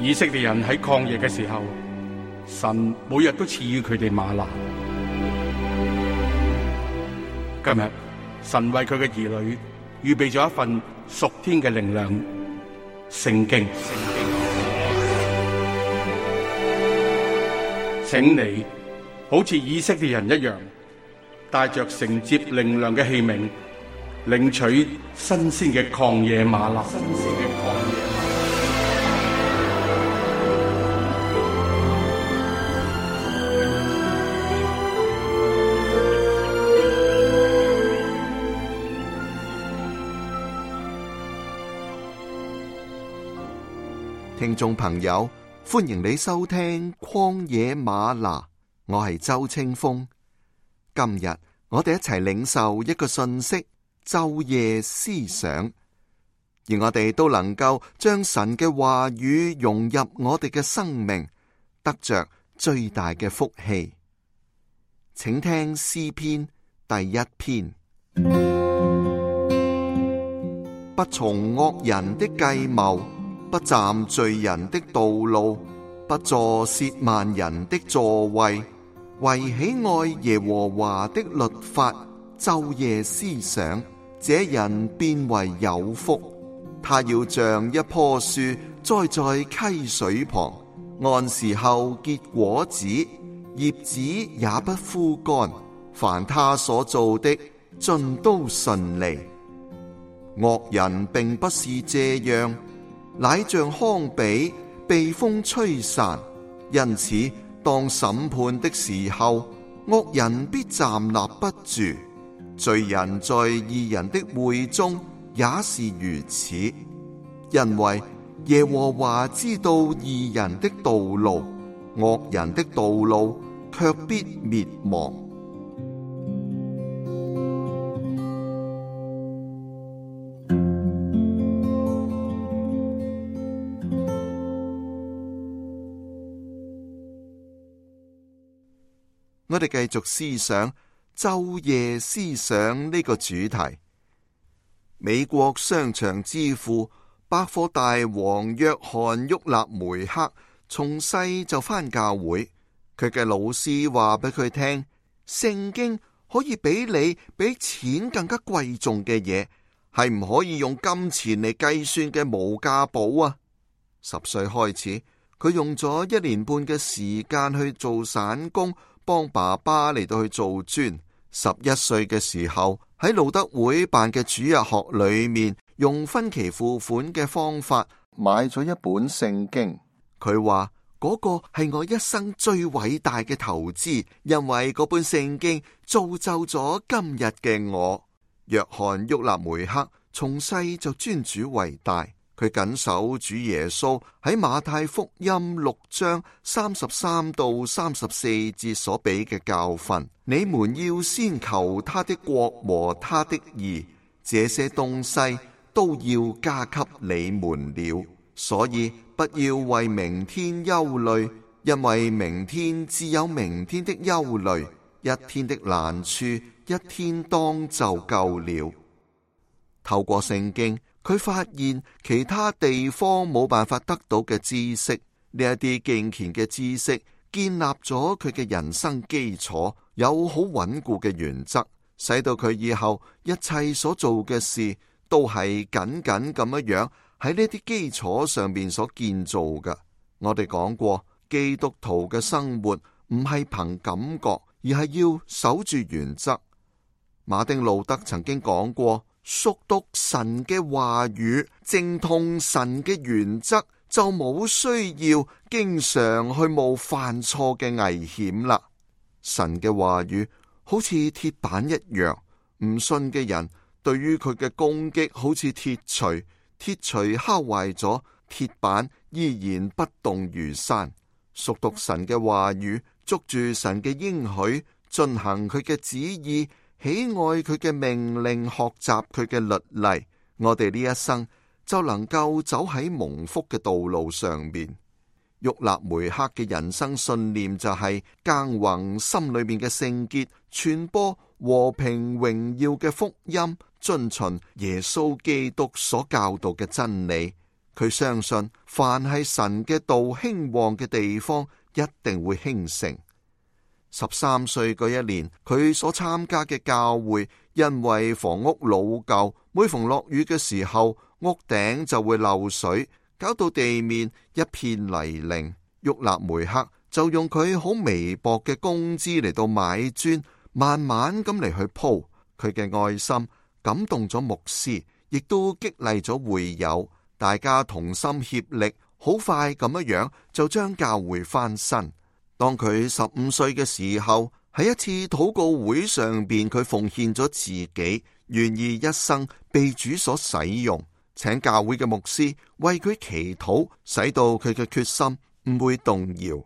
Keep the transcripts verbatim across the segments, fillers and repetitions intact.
以色列人喺曠野嘅時候，神每日都賜予佢哋嗎哪。今日神為佢嘅兒女預備咗一份屬天嘅靈糧——聖經。請你好似以色列人一樣，帶着承接靈糧嘅器皿，領取新鮮嘅曠野嗎哪。聽眾朋友，歡迎你收聽曠野嗎哪，我係周清風。今日我哋一齊領受一個信息，晝夜思想，而我哋都能夠將神嘅話語融入我哋嘅生命，得着最大嘅福氣。請聽詩篇第一篇。不從惡人的計謀，不站罪人的道路，不坐褻慢人的座位，惟喜愛耶和華的律法，晝夜思想，這人便為有福。他要像一棵樹栽在溪水旁，按時候結果子，葉子也不枯乾。凡他所做的，盡都順利。惡人並不是這樣，乃像糠秕被風吹散，因此當審判的時候，惡人必站立不住。罪人在義人的會中也是如此，因為耶和華知道義人的道路，惡人的道路卻必滅亡。我哋繼續思想晝夜思想呢個主題。美國商場之父百貨大王約翰沃勒梅克從細就返教會，佢嘅老師話俾佢聽，聖經可以俾你比錢更加貴重嘅嘢，係唔可以用金錢嚟計算嘅無價寶啊！十歲開始，佢用咗一年半嘅時間去做散工，幫爸爸嚟到去做磚。十一歲嘅時候，喺路德會辦嘅主日學裏面，用分期付款嘅方法買咗一本聖經。佢話嗰個係我一生最偉大嘅投資，因為嗰本聖經造就咗今日嘅我。約翰沃勒梅克從細就尊主為大。佢謹守主耶穌喺馬太福音六章三十三到三十四節所俾嘅教訓：你們要先求他的國和他的義，這些東西都要加給你們了。所以不要為明天憂慮，因為明天自有明天的憂慮，一天的難處一天當就夠了。透過聖經，佢發現其他地方冇辦法得到嘅知識，呢一啲敬虔嘅知識建立咗佢嘅人生基礎，有好穩固嘅原則，使到佢以後一切所做嘅事都係緊緊咁樣樣喺呢啲基礎上面所建造嘅。我哋講過，基督徒嘅生活唔係憑感覺，而係要守住原則。馬丁路德曾經講過，熟讀神嘅話語，精通神嘅原則，就冇需要經常去冒犯錯嘅危險啦。神嘅話語好似鐵板一樣，唔信嘅人對於佢嘅攻擊好似鐵錘，鐵錘敲壞咗，鐵板依然不動如山。熟讀神嘅話語，捉住神嘅應許，進行佢嘅旨意，喜愛佢嘅命令，學習佢嘅律例，我哋呢一生就能夠走喺蒙福嘅道路上面。沃勒梅克嘅人生信念就係耕耘心裏面嘅聖潔，傳播和平榮耀嘅福音，遵循耶穌基督所教導嘅真理。佢相信凡係神嘅道興旺嘅地方，一定會興盛。十三歲嗰一年，佢所參加嘅教會因為房屋老舊，每逢落雨嘅時候，屋頂就會漏水，搞到地面一片泥濘。沃納梅克就用佢好微薄嘅工資嚟到買磚，慢慢咁嚟去鋪。佢嘅愛心感動咗牧師，亦都激勵咗會友，大家同心協力，好快咁樣樣就將教會翻身。當佢十五歲嘅時候，喺一次禱告會上邊，佢奉獻咗自己，願意一生被主所使用，請教會嘅牧師為佢祈禱，使到佢嘅決心唔會動搖。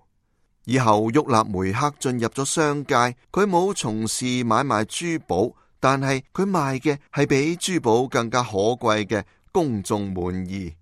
以後沃納梅克進入咗商界，佢冇從事買賣珠寶，但係佢賣嘅係比珠寶更加可貴嘅公眾滿意。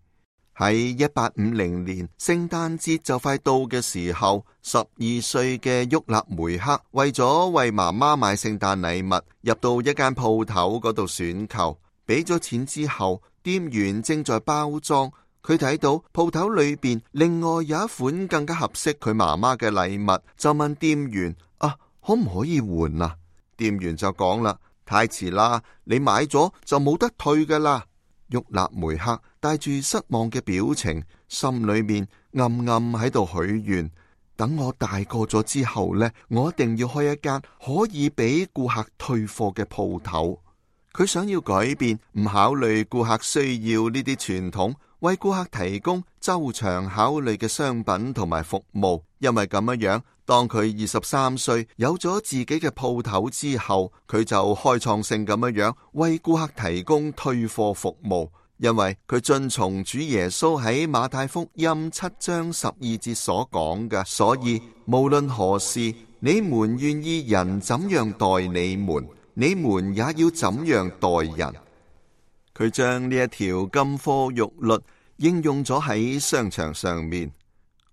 喺一八五零年聖誕節就快到嘅時候，十二歲嘅沃納梅克為咗為媽媽買聖誕禮物，入到一間鋪頭嗰度選購，俾咗錢之後，店員正在包裝，佢睇到鋪頭裏邊另外有一款更加合適佢媽媽嘅禮物，就問店員：啊，可唔可以換啊？店員就講啦：太遲啦，你買咗就冇得退噶啦。沃納梅克帶住失望嘅表情，心裏面暗暗喺度許願：等我大個咗之後呢，我一定要開一間可以俾顧客退貨嘅鋪頭。佢想要改變，唔考慮顧客需要呢啲傳統，為顧客提供周詳考慮嘅商品同埋服務。因為咁樣樣，當佢二十三歲有咗自己嘅鋪頭之後，佢就開創性咁樣樣為顧客提供退貨服務。因為佢遵從主耶穌喺馬太福音七章十二節所講嘅，所以無論何事，你們願意人怎樣待你們，你們也要怎樣待人。佢將呢一條金科玉律應用咗喺商場上面，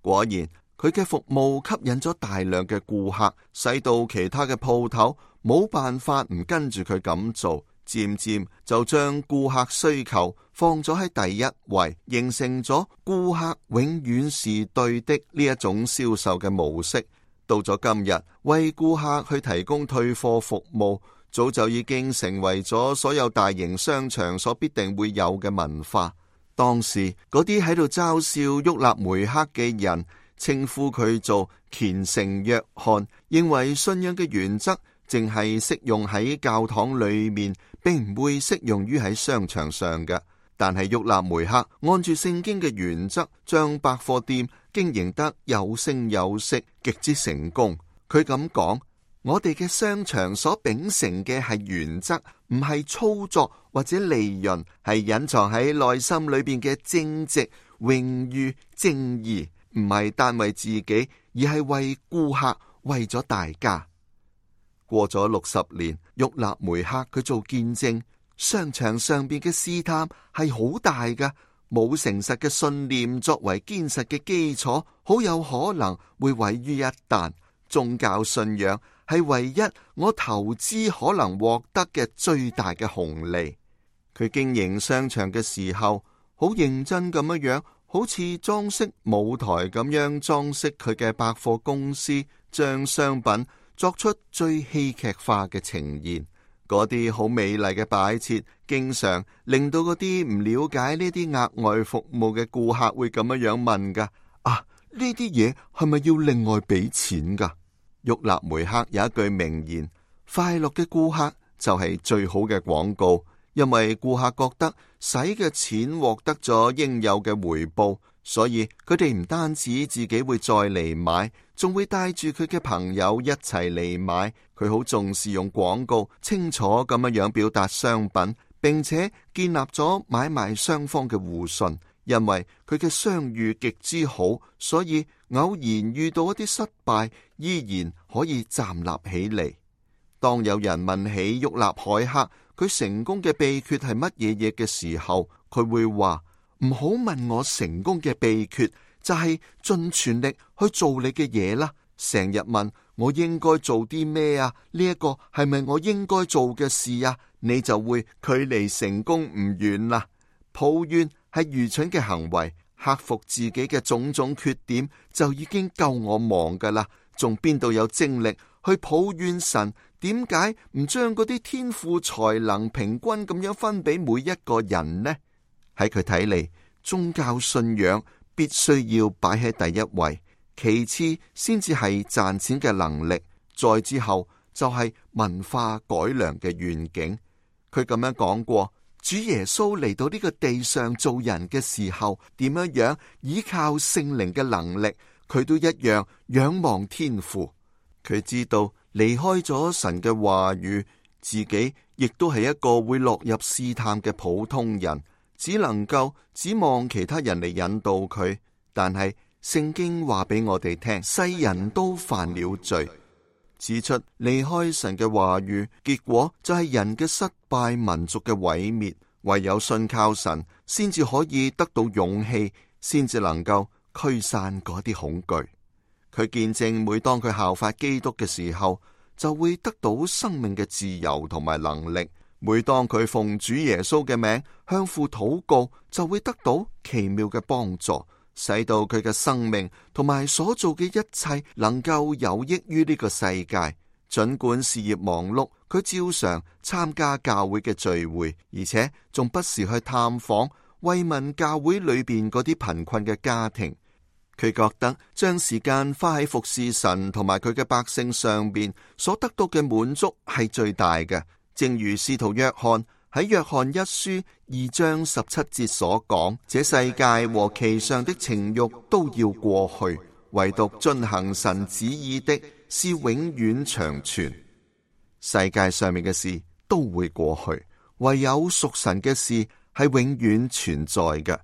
果然佢嘅服務吸引咗大量嘅顧客，使到其他嘅鋪頭冇辦法唔跟住佢咁做，漸漸就將顧客需求放咗喺第一位，形成咗顧客永遠是對的呢一種銷售嘅模式。到咗今日，為顧客去提供退貨服務，早就已經成為咗所有大型商場所必定會有嘅文化。當時嗰啲喺度嘲笑沃納梅克嘅人，稱呼佢做虔誠約翰，認為信仰嘅原則淨係適用喺教堂裏面，並唔會適用於喺商場上嘅。但係沃納梅克按住聖經嘅原則，將百貨店經營得有聲有色，極之成功。佢咁講：我哋嘅商場所秉承嘅係原則，唔係操作或者利潤，係隱藏喺內心裏邊嘅正直、榮譽、正義，唔係單為自己，而係為顧客，為咗大家。過咗六十年，沃納梅克佢做見證，商場上邊嘅試探係好大㗎，冇誠實嘅信念作為堅實嘅基礎，好有可能會毀於一旦。宗教信仰係唯一我投資可能獲得嘅最大嘅紅利。佢經營商場嘅時候，好認真咁樣樣，好似裝飾舞台咁樣裝飾佢嘅百貨公司，將商品作出最戲劇化嘅呈現。嗰啲好美麗嘅擺設，經常令到嗰啲唔了解呢啲額外服務嘅顧客會咁樣樣問噶：啊，呢啲嘢係咪要另外俾錢噶？沃納梅克有一句名言：快樂嘅顧客就係最好嘅廣告，因為顧客覺得使嘅錢獲得咗應有嘅回報，所以佢哋唔單止自己會再嚟買，仲會帶住佢嘅朋友一齊嚟買。佢好重視用廣告清楚咁樣樣表達商品，並且建立咗買賣雙方嘅互信。因為佢嘅商譽極之好，所以偶然遇到一啲失敗，依然可以站立起嚟。當有人問起沃納海克佢成功嘅秘訣係乜嘢嘢嘅時候，佢會話：唔好問我成功嘅秘訣，就係盡全力去做你嘅嘢啦。成日問我應該做啲咩啊？呢一個係咪我應該做嘅事啊？你就會距離成功唔遠啦。抱怨係愚蠢嘅行為，克服自己嘅種種缺點就已經夠我忙噶啦，仲邊度有精力去抱怨神點解唔將嗰啲天賦才能平均咁樣分俾每一個人呢？喺佢睇嚟，宗教信仰必須要擺喺第一位，其次先至係賺錢嘅能力，再之後就係文化改良嘅願景。佢咁樣講過，主耶穌嚟到呢個地上做人嘅時候，點樣樣依靠聖靈嘅能力，佢都一樣仰望天父。佢知道離開咗神嘅話語，自己亦都係一個會落入試探嘅普通人，只能夠指望其他人嚟引導佢。但係聖經話俾我哋聽，世人都犯了罪，指出離開神嘅話語，結果就係人嘅失敗，民族嘅毀滅。唯有信靠神，先至可以得到勇氣，先至能夠驅散嗰啲恐懼。佢見證，每當佢效法基督嘅時候，就會得到生命嘅自由同埋能力。每當佢奉主耶穌嘅名向父禱告，就會得到奇妙嘅幫助，使到佢嘅生命同埋所做嘅一切能夠有益於呢個世界。盡管事業忙碌，佢照常參加教會嘅聚會，而且仲不時去探訪慰問教會裏邊嗰啲貧困嘅家庭。佢覺得將時間花喺服侍神同埋佢嘅百姓上邊，所得到嘅滿足係最大嘅。正如使徒約翰喺約翰一書二章十七節所講，這世界和其上的情慾都要過去，唯獨遵行神旨意的是永遠長存。世界上面嘅事都會過去，唯有屬神嘅事係永遠存在嘅。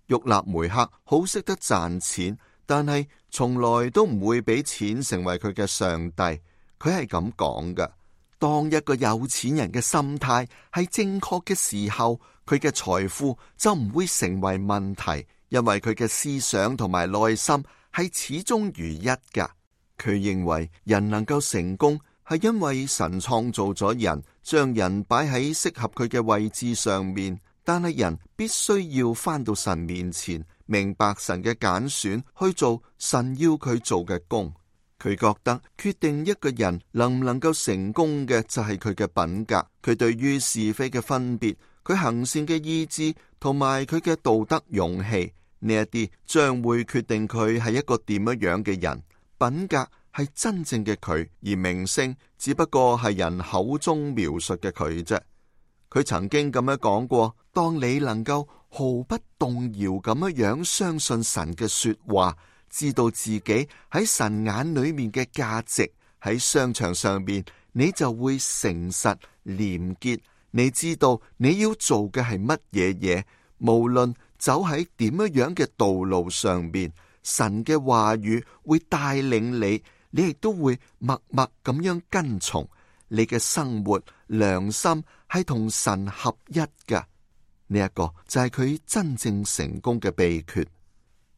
沃納梅克好識得賺錢，但係從來都唔會俾錢成為佢嘅上帝。佢係咁講嘅：當一個有錢人嘅心態係正確嘅時候，佢嘅財富就唔會成為問題，因為佢嘅思想同埋內心係始終如一噶。佢認為人能夠成功係因為神創造咗人，將人擺喺適合佢嘅位置上面。但係人必須要返到神面前，明白神嘅揀選，去做神要佢做嘅工。佢覺得決定一個人能唔能夠成功嘅就係佢嘅品格，佢對於是非嘅分別，佢行善嘅意志，同埋佢嘅道德勇氣，呢一啲將會決定佢係一個點樣樣嘅人。品格係真正嘅佢，而名聲只不過係人口中描述嘅佢啫。佢曾經咁樣講過：當你能夠毫不動搖咁樣樣相信神嘅說話，知道自己喺神眼裏面嘅價值，喺商場上面你就會誠實廉潔。你知道你要做嘅係乜嘢嘢，無論走喺點樣樣嘅道路上面，神嘅話語會帶領你，你亦都會默默咁樣跟從。你嘅生活良心係同神合一㗎，呢一個就係佢真正成功嘅秘訣。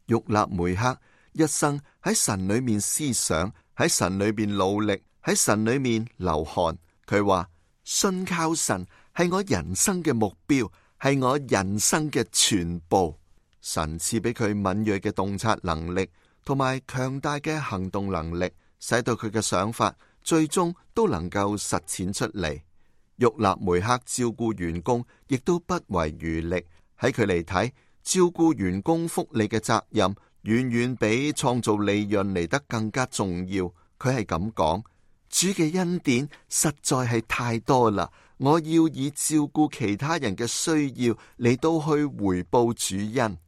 沃納梅克一生喺神裏面思想，喺神裏面努力，喺神裏面流汗。佢話信靠神係我人生嘅目標，係我人生嘅全部。神賜俾佢敏銳嘅洞察能力，同埋強大嘅行動能力，使到佢嘅想法最終都能夠實踐出嚟。沃納梅克照顧員工亦都不遺餘力。喺佢嚟睇，照顧員工福利嘅責任遠遠比創造利潤嚟得更加重要。佢係咁講：主嘅恩典實在係太多啦，我要以照顧其他人嘅需要嚟到去回報主恩。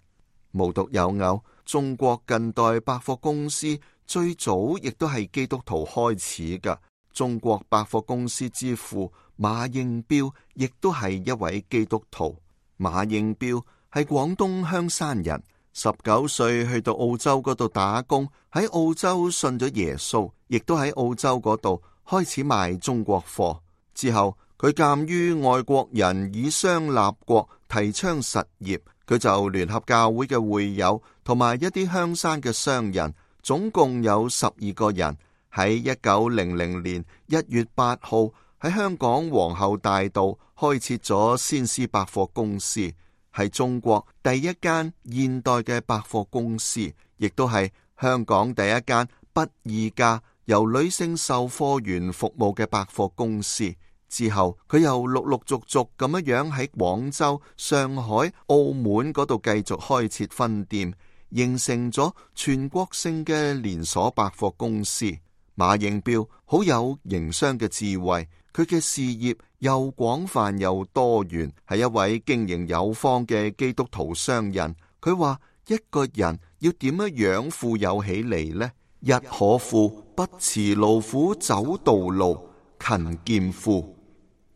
無獨有偶，中國近代百貨公司最早亦都係基督徒開始噶。中國百貨公司之父馬應彪亦都係一位基督徒。馬應彪係廣東香山人，十九歲去到澳洲嗰度打工，喺澳洲信咗耶穌，亦都喺澳洲嗰度開始賣中國貨。之後佢鑒於外國人以商立國，提倡實業，佢就聯合教會嘅會友同埋一啲香山嘅商人，總共有十二個人，喺一九零零年一月八號喺香港皇后大道開設咗先施百貨公司。係中國第一間現代嘅百貨公司，亦都係香港第一間不二價由女性售貨員服務嘅百貨公司。之後佢又陸陸續續咁樣喺廣州、上海、澳門嗰度繼續開設分店，形成咗全國性嘅連鎖百貨公司。馬應彪好有營商嘅智慧，佢嘅事業又廣泛又多元，係一位經營有方嘅基督徒商人。佢話一個人要點樣樣富有起嚟呢？一可富，不辭勞苦走道路，勤儉富；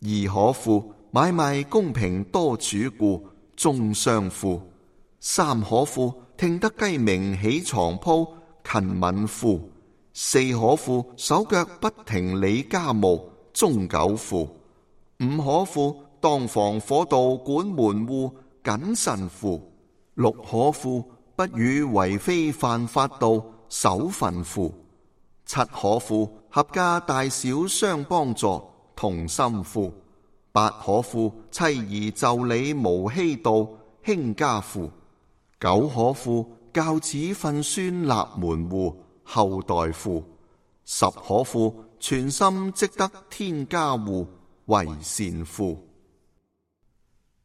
二可富，買賣公平多主顧，終相富；三可富，聽得雞鳴起床鋪，勤敏富；四可富，手腳不停理家務，終久富；五可富，當防火盜管門戶，謹慎富；六可富，不與為非犯法盜，守分富；七可富，合家大小相幫助，同心富；八可富，妻兒就理無欺盜，興家富；九可富，教子訓孫立門戶，後代富；十可富，全心積得天家戶，為善富。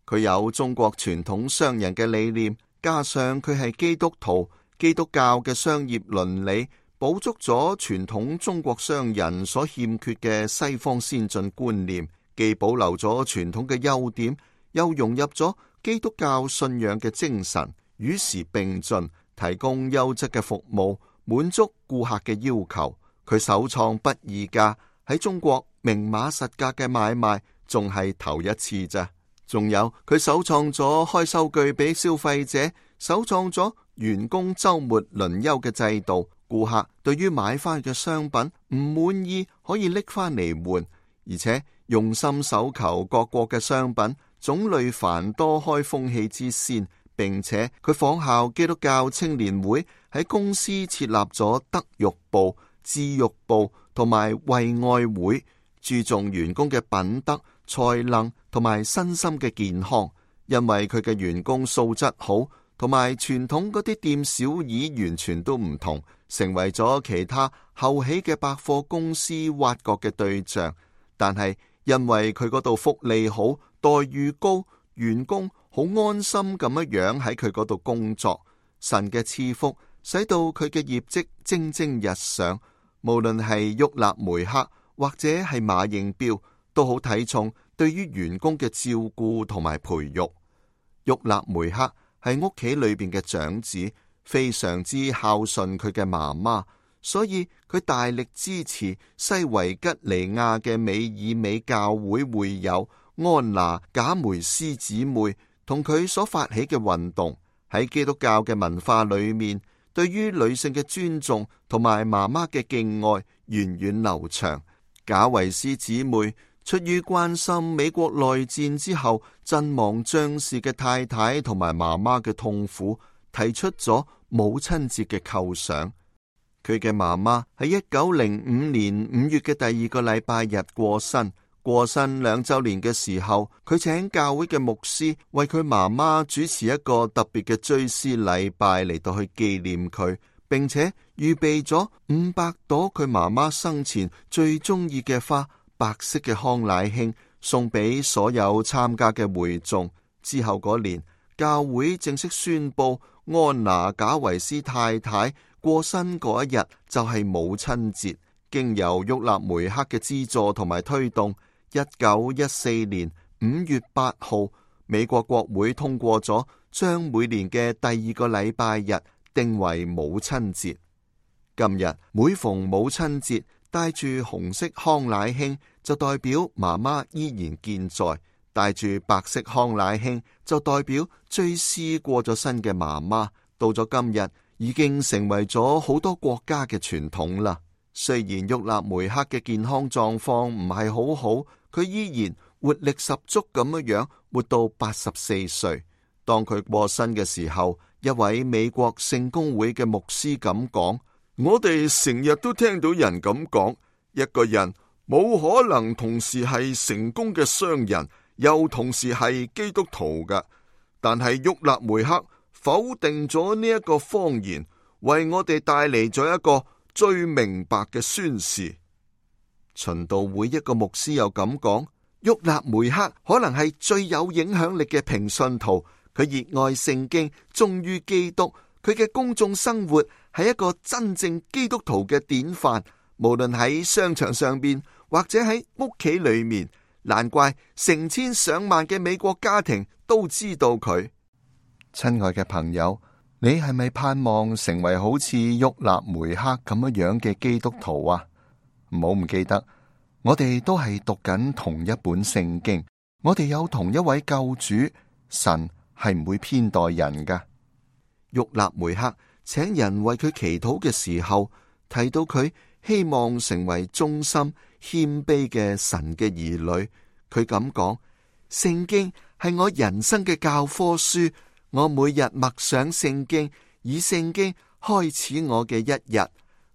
佢有中國傳統商人嘅理念，加上佢係基督徒，基督教嘅商業倫理補足咗傳統中國商人所欠缺嘅西方先進觀念，既保留咗傳統嘅優點，又融入咗基督教信仰嘅精神，與時並進，提供優質嘅服務，滿足顧客嘅要求。佢首創不二價，喺中國明碼實價嘅買賣仲係頭一次咋。仲有佢首創咗開收據俾消費者，首創咗員工周末輪休嘅制度。顧客對於買翻嘅商品唔滿意，可以拎翻嚟換，而且用心搜求各國嘅商品，種類繁多，開風氣之先。並且佢仿效基督教青年會喺公司設立咗德育部、智育部同埋惠愛會，注重員工嘅品德、才能同埋身心嘅健康。因為佢嘅員工素質好，同埋傳統嗰啲店小二完全都唔同，成為咗其他後起嘅百貨公司挖角嘅對象。但係因為佢嗰度福利好、待遇高，員工好安心咁樣樣喺佢嗰度工作。神嘅賜福使到佢嘅業績蒸蒸日上，無論係沃納梅克或者係馬應彪，都好睇重對於員工嘅照顧同埋培育。沃納梅克係屋企裏邊嘅長子，非常之孝順佢嘅媽媽，所以佢大力支持西維吉尼亞嘅美爾美教會會友安娜賈梅斯姊妹同佢所發起嘅運動。喺基督教嘅文化裏面，對於女性嘅尊重同埋媽媽嘅敬愛源遠流長。賈維斯姊妹出於關心美國內戰之後陣亡將士嘅太太同埋媽媽嘅痛苦，提出咗母親節嘅構想。佢嘅媽媽喺一九零五年五月嘅第二個禮拜日過身。過身兩周年嘅時候，佢請教會嘅牧師為佢媽媽主持一個特別嘅追思禮拜嚟到去紀念佢，並且預備咗五百朵佢媽媽生前最中意嘅花，白色嘅康乃馨，送俾所有參加嘅會眾。之後嗰年，教會正式宣布安娜賈維斯太太過身嗰一日就係母親節。經由沃納梅克嘅資助同埋推動，一九一四年五月八號，美國國會通過咗將每年嘅第二個禮拜日定為母親節。今日每逢母親節，帶住紅色康乃馨就代表媽媽依然健在，帶住白色康乃馨就代表追思過咗身嘅媽媽。到咗今日，已經成為咗好多國家嘅傳統啦。雖然沃納梅克嘅健康狀況唔係好好，佢依然活力十足咁樣樣活到八十四歲。當佢過身嘅時候，一位美國聖公會嘅牧師咁講：我哋成日都聽到人咁講，一個人冇可能同時係成功嘅商人，又同時係基督徒㗎。但係沃勒梅克否定咗呢一個謊言，為我哋帶嚟咗一個最明白嘅宣示。循道會一個牧師又咁講，沃勒梅克可能係最有影響力嘅平信徒，佢熱愛聖經，忠於基督，佢嘅公眾生活係一個真正基督徒嘅典範，無論喺商場上邊或者喺屋企裏面，難怪成千上萬嘅美國家庭都知道佢。親愛嘅朋友，你係咪盼望成為好似沃勒梅克咁樣樣嘅基督徒啊？唔好唔記得，我哋都係讀緊同一本聖經，我哋有同一位救主，神係唔會偏待人噶。沃勒梅克請人為佢祈禱嘅時候，提到佢希望成為忠心謙卑嘅神嘅兒女。佢咁講：聖經係我人生嘅教科書，我每日默想聖經，以聖經開始我嘅一日。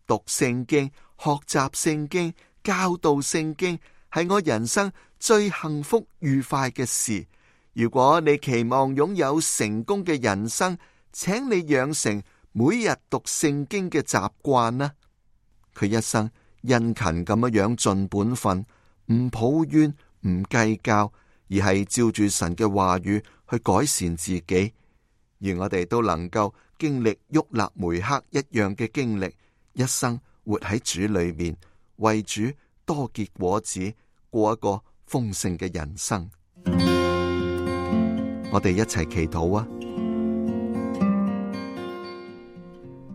讀聖經、學習聖經、教導聖經，係我人生最幸福愉快嘅事。如果你期望擁有成功嘅人生，請你養成每日讀聖經嘅習慣啦。佢一生殷勤咁樣樣盡本分，唔抱怨，唔計較，而係照住神嘅話語去改善自己。而我哋都能夠經歷沃勒梅克一樣嘅經歷，一生活喺主裏面，為主多結果子，過一個豐盛嘅人生。我哋一齊祈禱啊！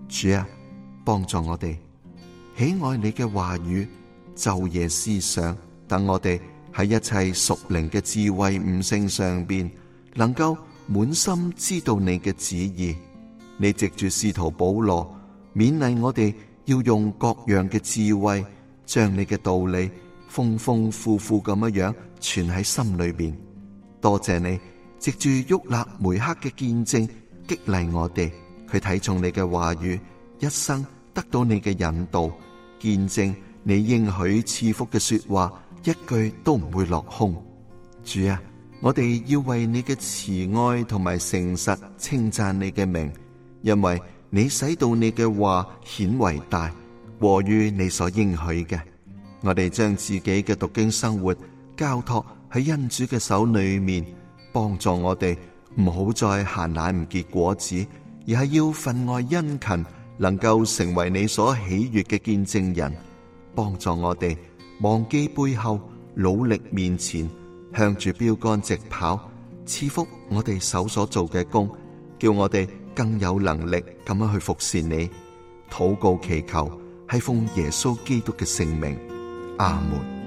主啊，幫助我哋喜愛你嘅話語，晝夜思想，等我哋喺一切屬靈嘅智慧悟性上邊，能夠滿心知道你嘅旨意。你藉住使徒保羅勉勵我哋要用各樣嘅智慧，將你嘅道理豐豐富富咁樣樣存喺心裏邊。多謝你藉住沃勒梅克嘅見證激勵我哋，佢睇重你嘅話語，一生得到你嘅引導，見證你應許賜福嘅說話，一句都唔會落空。主啊，我哋要為你嘅慈愛同埋誠實稱讚你嘅名，因為你使到你嘅話顯為大，過於你所應許嘅。我哋將自己嘅讀經生活交託喺恩主嘅手裏面，幫助我哋唔好再閒懶唔結果子，而係要分外殷勤，能夠成為你所喜悅嘅見證人。幫助我哋忘記背後，努力面前，向住標杆直跑，賜福我哋手所做嘅工，叫我哋更有能力咁樣去服侍你。禱告祈求係奉耶穌基督嘅聖名，阿門。